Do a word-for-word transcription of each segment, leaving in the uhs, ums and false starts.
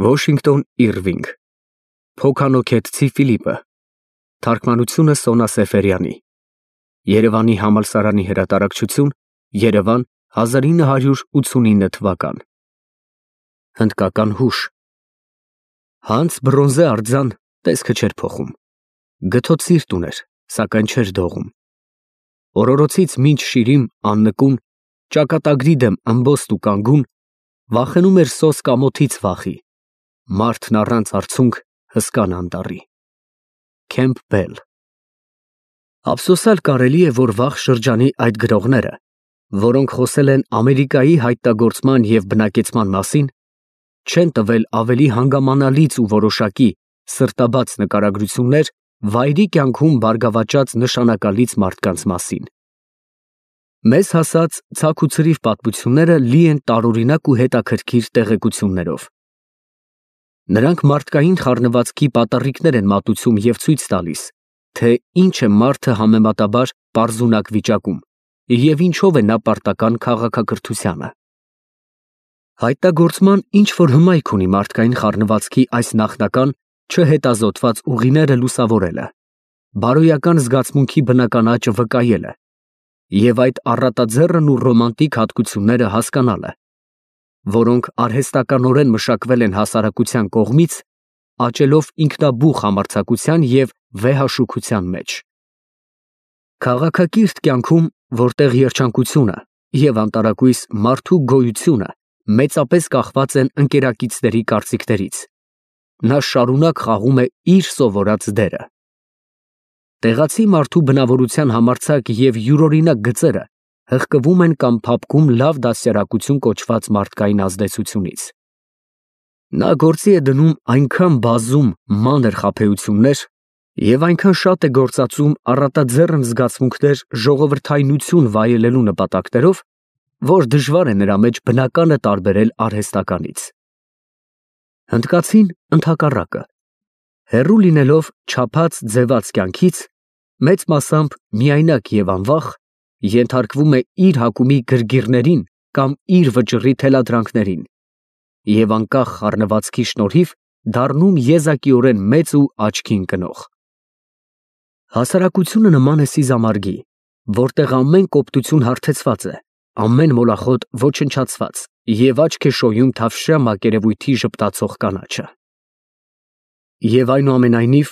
Վոշինգտոն Իրվինգ Փոքանոքեթցի Ֆիլիպը Թարգմանությունը Սոնա Սեֆերյանի Երևանի համալսարանի հրատարակչություն Երևան հազար ինը հարյուր ութսունինը թվական Հնդկական հուշ Հանց բրոնզե արձան տեսքը չէր փոխում Գթոտ սիրտ ուներ, սակայն չէր դողում Օրորոցից մինչ շիրիմ աննկուն Ճակատագրի դեմ ըմբոստ ու կանգուն Վախենում էր սոս կամոթից վախի Մարդն առանց արցունք հսկան անտառի Քեմփբել Ափսոսալ կարելի է, որ վաղ շրջանի այդ գրողները, որոնք խոսել են Ամերիկայի հայտնագործման և բնակեցման մասին, չեն տվել ավելի հանգամանալից ու որոշակի սրտաբաց նկարագրություններ վայրի կյանքում բարգավաճած նշանակալից մարդկանց մասին։ Մեզ հասած ցաք ու ցրիվ պատմությունները լի են տարօրինակ ու հետաքրքիր տեղեկություններով։ Նրանք մարդկային խառնվածքի պատառիկներ են մատուցում և ցույց տալիս, թե ինչ է մարդը համեմատաբար պարզունակ վիճակում և ինչով է նա պարտական քաղաքակրթությանը։ Հայտնագործման ինչ-որ հմայք ունի մարդկային խառնվածքի այս նախնական, չհետազոտված ուղիները լուսավորելը, բարոյական զգացմունքի բնական աճը վկայելը և այդ առատաձեռն ու ռոմանտիկ հատկությունները հասկանալը, որոնք արհեստականորեն մշակվել են հասարակության կողմից, աճելով ինքնաբուխ համարձակության և վեհաշուքության մեջ։ Քաղաքակիրթ կյանքում, որտեղ երջանկությունը և անտարակույս մարդու գոյությունը մեծապես կախված են ընկերակիցների կարծիքներից, նա շարունակ խաղում է իր սովորած դերը։ Տեղացի մարդու բնավորության համարձակ և յուրօրինակ գծերը հղկվում են կամ փափկում լավ դաստիարակություն կոչված մարդկային ազդեցությունից։ Նա գործի է դնում այնքան բազում մանր խաբեություններ և այնքան շատ է գործածում առատաձեռն զգացմունքներ ժողովրդայնություն վայելելու նպատակներով, որ դժվար է նրա մեջ բնականը տարբերել արհեստականից։ Հնդկացին ընդհակառակը, հեռու լինելով չափած ձևած կյանքից, մեծ մասամբ միայնակ և անվախ, ենթարկվում է իր հակումի գրգիռներին կամ իր վճռի թելադրանքներին և անկախ խառնվածքի շնորհիվ դառնում եզակիորեն մեծ ու աչքի ընկնող։ Հասարակությունը նման է սիզամարգի, որտեղ ամեն կոպտություն հարթեցված է, ամեն մոլախոտ ոչնչացված և աչք է շոյում թավշյա մակերևույթի ժպտացող կանաչը։ Եվ այնուամենայնիվ,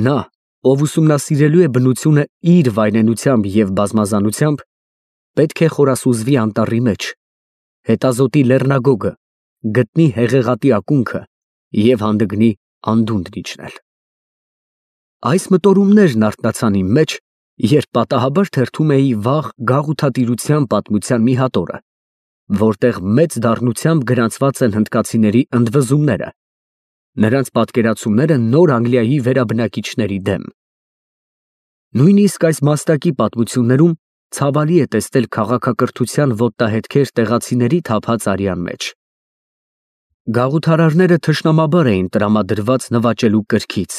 նա, ով ուսումնասիրելու է բնությունը իր վայրենությամբ և բազմազանությամբ, պետք է խորասուզվի անտառի մեջ, հետազոտի լեռնագոգը, գտնի հեղեղատի ակունքը և հանդգնի անդունդն իջնել։ Այս մտորումներն արթնացան իմ մեջ, երբ պատահաբար թերթում էի վաղ գաղութատիրության պատմության մի հատորը, որտեղ մեծ դառնությամբ գրանցված են հնդկացիների ընդվզումները, նրանց պատկերացումները Նոր Անգլիայի վերաբնակիչների դեմ։ Նույնիսկ այս մաստակի պատմություններում ցավալի է տեսնել քաղաքակրթության ոտնահետքեր տեղացիների թափած արյան մեջ։ Գաղութարարները թշնամաբար էին տրամադրված նվաճելու կրքից,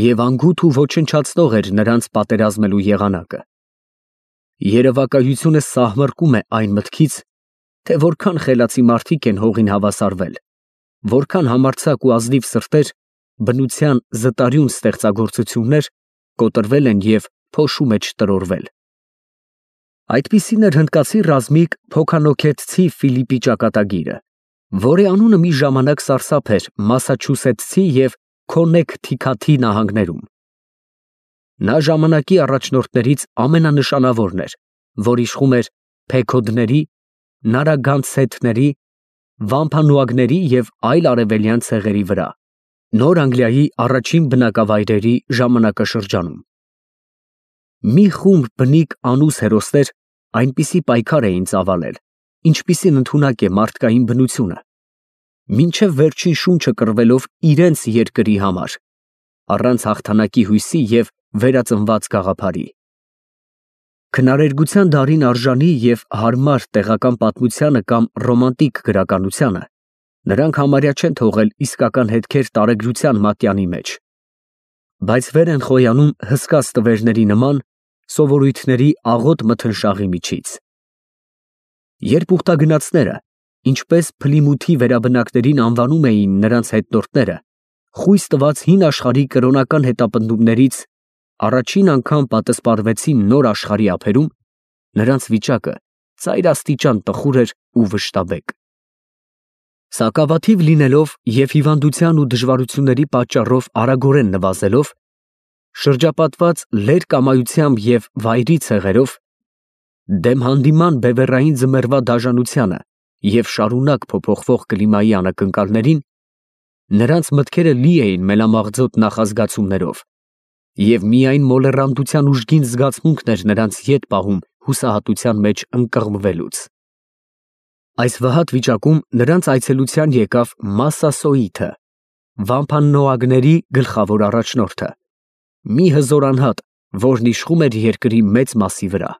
և անգութ ու ոչնչացնող էր նրանց պատերազմելու եղանակը։ Երևակայությունը սահմռկում է այն մտքից, թե որքան խելացի մարդիկ են հողին հավասարվել, որքան համարձակ ու ազնիվ սրտեր, բնության զտարյուն ստեղծագործություններ կոտրվել են և փոշու մեջ տրորվել։ Այդպիսին էր հնդկացի ռազմիկ Փոքանոքեթցի Ֆիլիպի ճակատագիրը, որի անունը մի ժամանակ սարսափ էր Մասաչուսեթսի և Քոննեքթիքաթի նահանգներում։ Նա ժամանակի առաջնորդներից ամենանշանավորն էր, որ իշխում էր Փեքոդների, Նարագանսեթների, Վամփանուագների և այլ արևելյան ցեղերի վրա, Նոր Անգլիայի առաջին բնակավայրերի ժամանակաշրջանում։ Մի խումբ բնիկ անուս հերոսներ այնպիսի պայքար էին ծավալել, ինչպիսին ընդունակ է մարդկային բնությունը, մինչև վերջին շունչը կռվելով իրենց երկրի համար, առանց հաղթանակի հույսի և վերածնված գաղափարի։ Քնարերգության դարին արժանի և հարմար տեղական պատմությանը կամ ռոմանտիկ գրականությանը նրանք համարյա չեն թողել իսկական հետքեր տարեգրության մատյանի մեջ, բայց վեր են խոյանում հսկա ստվերների նման սովորույթների աղոտ մթնշաղի միջից։ Երբ ուխտագնացները, ինչպես Փլիմութի վերաբնակներին անվանում էին նրանց հետնորդները, խույս տված հին աշխարհի կրոնական հետապնդումներից առաջին անգամ պատասպարվեցին նոր աշխարհի ափերում, նրանց վիճակը ծայրաստիճան տխուր էր ու վշտաբեկ։ Սակավաթիվ լինելով և հիվանդության ու դժվարությունների պատճառով արագորեն նվազելով, շրջապատված լեր կամայությամբ և վայրի ցեղերով, դեմ հանդիման բևեռային ձմեռվա դաժանությանը և շարունակ փոփոխվող կլիմայի անակնկալներին, նրանց մտքերը լի էին մելամաղձոտ նախազգացումներով, և միայն մոլեռանդության ուժգին զգացմունքն էր նրանց ետ պահում հուսահատության մեջ ընկղմվելուց։ Այս վհատ վիճակում նրանց այցելության եկավ Մասսասոիթը, վամփաննոագների գլխավոր առաջնորդը, մի հզոր անհատ, որն իշխում էր երկրի մեծ մասի վրա։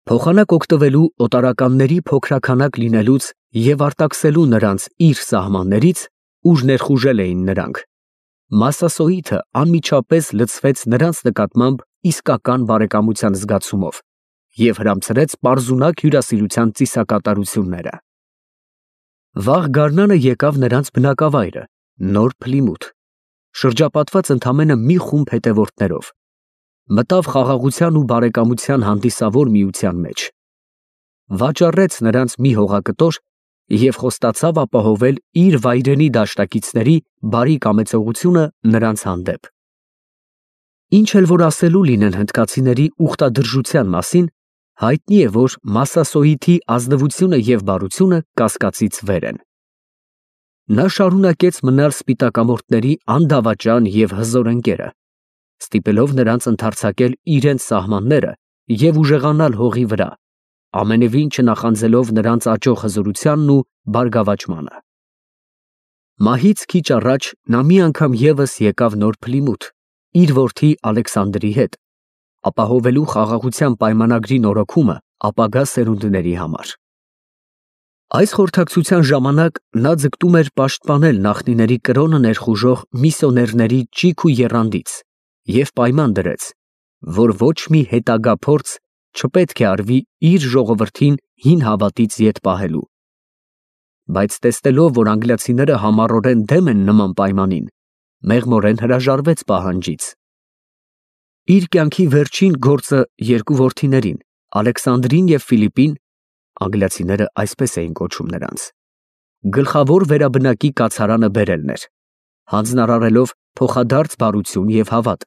Փոխանակ օգտվելու օտարականների փոքրաքանակ լինելուց և արտաքսելու նրանց իր սահմաններից, ուր ներխուժել էին նրանք, Մասսասոիթը անմիջապես լցվեց նրանց նկատմամբ իսկական բարեկամության զգացումով և հրամցրեց պարզունակ հյուրասիրության ծիսակատարությունները։ Վաղ գարնանը եկավ նրանց բնակավայրը, Նոր Փլիմութ, շրջապատված ընդամենը մի խումբ հետևորդներով, մտավ խաղաղության ու բարեկամության հանդիսավոր միության մեջ, վաճառեց նրանց մի հողակտոր և խոստացավ ապահովել իր վայրենի դաշնակիցների բարի կամեցողությունը նրանց հանդեպ։ Ինչ էլ որ ասելու լինեն հնդկացիների ուխտադրժության մասին, հայտնի է, որ Մասսասոիթի ազնվությունը և բարությունը կասկածից վեր են։ Նա շարունակեց մնալ սպիտակամորթների անդավաճան և հզոր ընկերը, ստիպելով նրանց ընդարձակել իրենց սահմանները և ուժեղանալ հողի վրա, ամենևին չնախանձելով նրանց աճող հզորությանն ու բարգավաճմանը։ Մահից քիչ առաջ նա մի անգամ ևս եկավ Նոր Փլիմութ իր որդի Ալեքսանդրի հետ, ապահովելու խաղաղության պայմանագրի նորոգումը ապագա սերունդների համար։ Այս խորհրդակցության ժամանակ նա ձգտում էր պաշտպանել նախնիների կրոնը ներխուժող միսիոներների ճիգ ու եռանդից և պայման դրեց, որ ոչ մի հետագա փորձ չպետք է արվի իր ժողովրդին հին հավատից ետ պահելու։ Բայց տեսնելով, որ անգլիացիները համառորեն դեմ են նման պայմանին, մեղմորեն հրաժարվեց պահանջից։ Իր կյանքի վերջին գործը երկու որդիներին՝ Ալեքսանդրին և Ֆիլիպին (անգլիացիները այսպես էին կոչում նրանց) գլխավոր վերաբնակի կացարանը բերելն էր, հանձնարարելով փոխադարձ բարություն և հավատ,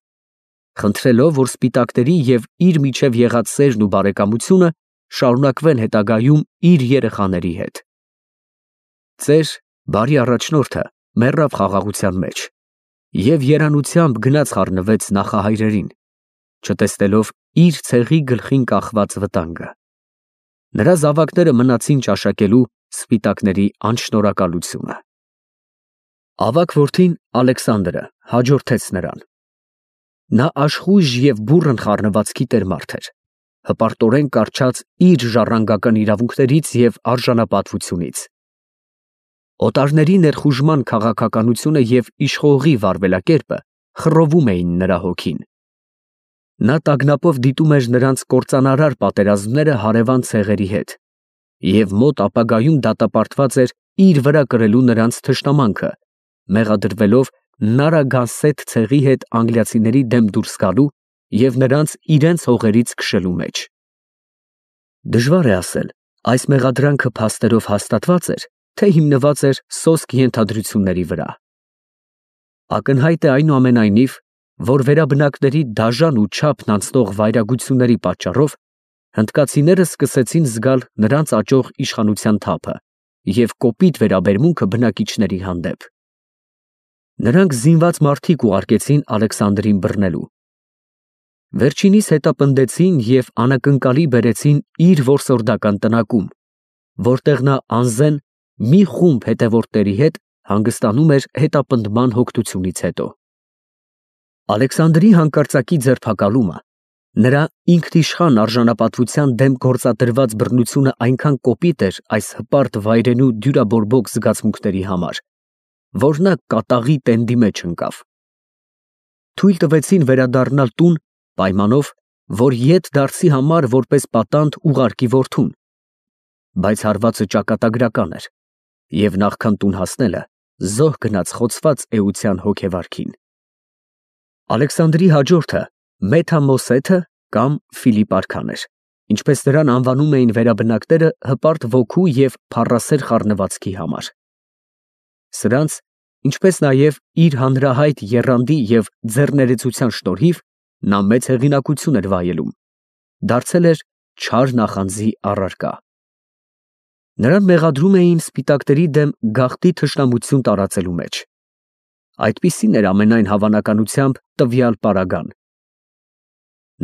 խնդրելով, որ սպիտակների և իր միջև եղած սերն ու բարեկամությունը շարունակվեն հետագայում իր երեխաների հետ։ Ծեր, բարի առաջնորդը մեռավ խաղաղության մեջ և երանությամբ գնաց խառնվեց նախահայրերին, չտեսնելով իր ցեղի գլխին կախված վտանգը։ Նրա զավակները մնացին ճաշակելու սպիտակների անշնորհակալությունը։ Ավագ որդին Ալեքսանդրը հաջորդեց նրան։ Նա աշխույժ և բուռն խառնվածքի տեր մարդ էր, հպարտորեն կառչած իր ժառանգական իրավունքներից և արժանապատվությունից։ Օտարների ներխուժման քաղաքականությունը և իշխողի վարվելակերպը խռովում էին նրա հոգին։ Նա տագնապով դիտում էր նրանց կործանարար պատերազմները հարևան ցեղերի հետ և մոտ ապագայում դատապարտված էր իր վրա կրելու նրանց թշնամանքը, մեղադրվելով Նարագանսեթ ցեղի հետ անգլիացիների դեմ դուրս գալու և նրանց իրենց հողերից քշելու մեջ։ Դժվար է ասել, այս մեղադրանքը փաստերով հաստատվա՞ծ էր, թե հիմնված էր սոսկ ենթադրությունների վրա։ Ակնհայտ է այնուամենայնիվ, որ վերաբնակների դաժան ու չափն անցնող վայրագությունների պատճառով հնդկացիները սկսեցին զգալ նրանց աճող իշխանության թափը և կոպիտ վերաբերմունքը բնակիչների հանդեպ։ Նրանք զինված մարդիկ ուղարկեցին Ալեքսանդրին բռնելու։ Վերջինիս հետապնդեցին և անակնկալի բերեցին իր որսորդական տնակում, որտեղ նա անզեն մի խումբ հետևորդների հետ հանգստանում էր հետապնդման հոգնությունից հետո։ Ալեքսանդրի հանկարծակի ձերբակալումը, նրա ինքնիշխան արժանապատվության դեմ գործադրված բռնությունը այնքան կոպիտ էր այս հպարտ վայրենու դյուրաբորբոք զգացմունքների համար, որ նա կատաղի տենդի մեջ ընկավ։ Թույլ տվեցին վերադառնալ տուն պայմանով, որ ետ դարձի համար որպես պատանդ ուղարկի որդուն, բայց հարվածը ճակատագրական էր, և նախքան տուն հասնելը զոհ գնաց խոցված էության հոգեվարքին։ Ալեքսանդրի հաջորդը Մեթամոսեթը կամ Ֆիլիպ արքան էր, ինչպես նրան անվանում էին վերաբնակները հպարտ ոգու և փառասեր խառնվածքի համար։ Սրանց, ինչպես նաև իր հանրահայտ եռանդի և ձեռներեցության շնորհիվ նա մեծ հեղինակություն էր վայելում, դարձել էր չար նախանձի առարկա։ Նրան մեղադրում էին սպիտակների դեմ գաղտնի թշնամություն տարածելու մեջ։ Այդպիսին էր ամենայն հավանականությամբ տվյալ պարագան։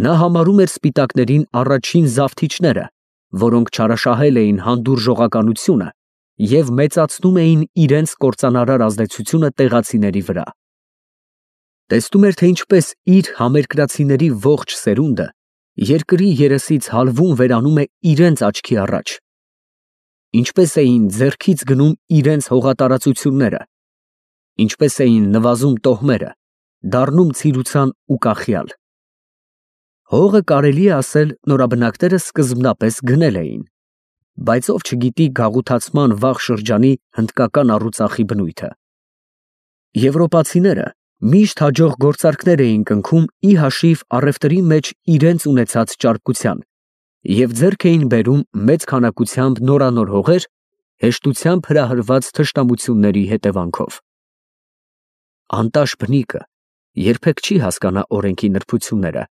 Նա համարում էր սպիտակներին առաջին զավթիչները, որոնք չարաշահել էին հանդուրժողականությունը և մեծացնում էին իրենց կործանարար ազդեցությունը տեղացիների վրա։ Տեսնում էր, թե ինչպես իր համերկրացիների ողջ սերունդը երկրի երեսից հալվում վերանում է իրենց աչքի առաջ, ինչպես էին ձեռքից գնում իրենց հողատարածությունները, ինչպես էին նվազում տոհմերը, դառնում ցիրուցան ու կախյալ։ Հողը, կարելի է ասել, նորաբնակները սկզբնապես գնել էին, բայց ով չգիտի գաղութացման վաղ շրջանի հնդկական առուծախի բնույթը։ Եվրոպացիները միշտ հաջող գործարքներ էին կնքում ի հաշիվ առևտրի մեջ իրենց ունեցած ճարպկության և ձեռք էին բերում մեծ քանակությամբ նորանոր հողեր, հեշտությամբ հրահրված թշնամությունների հետևանքով։ Անտաշ բնիկը երբեք չի հասկանա օրենքի նրբությունները,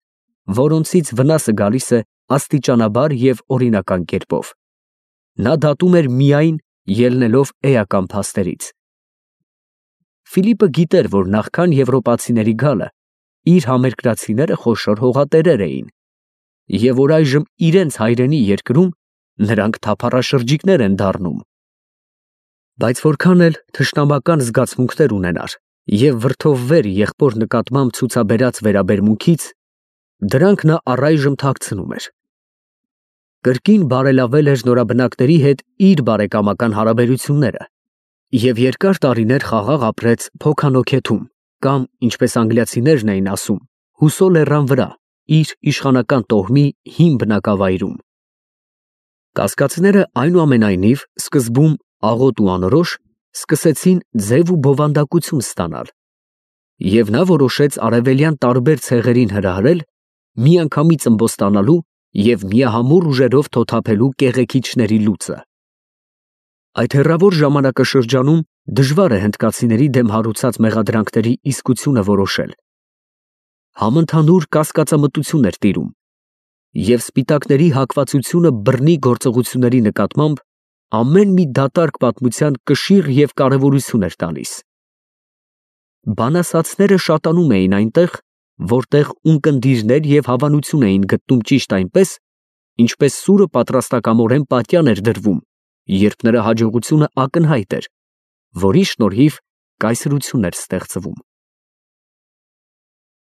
որոնցից վնասը գալիս է աստիճանաբար և օրինական կերպով։ Նա դատում էր միայն ելնելով էական փաստերից։ Ֆիլիպը գիտեր, որ նախքան եվրոպացիների գալը իր համերկրացիները խոշոր հողատերեր էին, և որ այժմ իրենց հայրենի երկրում նրանք թափառաշրջիկներ են դառնում։ Բայց որքան էլ թշնամական զգացմունքներ ունենար և վրդովվեր եղբոր նկատմամբ ցուցաբերած վերաբերմունքից, դրանք նա առայժմ թաքցնում էր։ Կրկին բարելավել էր նորաբնակների հետ իր բարեկամական հարաբերությունները և երկար տարիներ խաղաղ ապրեց Փոքանոքեթում կամ, ինչպես անգլիացիներն էին ասում, Հուսո լեռան վրա, իր իշխանական տոհմի հին բնակավայրում։ Կասկածները, այնուամենայնիվ, սկզբում աղոտ ու անորոշ, սկսեցին ձև ու բովանդակություն ստանալ, և նա որոշեց արևելյան տարբեր ցեղերին հրահրել, միանգամից ըմբոստանալու և միահամուռ ուժերով թոթափելու կեղեքիչների լուծը։ Այդ հեռավոր ժամանակաշրջանում դժվար է հնդկացիների դեմ հարուցած մեղադրանքների իսկությունը որոշել։ Համընդհանուր կասկածամտություն էր տիրում, և սպիտակների հակվածությունը բռնի գործողությունների նկատմամբ ամեն մի դատարկ պատմության կշիռ և կարևորություն էր տալիս։ Բանասացները շատանում էին այնտեղ, որտեղ ունկնդիրներ և հավանություն էին գտնում ճիշտ այնպես, ինչպես սուրը պատրաստակամորեն պատյան էր դրվում, երբ նրա հաջողությունը ակնհայտ էր, որի շնորհիվ կայսրություն էր ստեղծվում։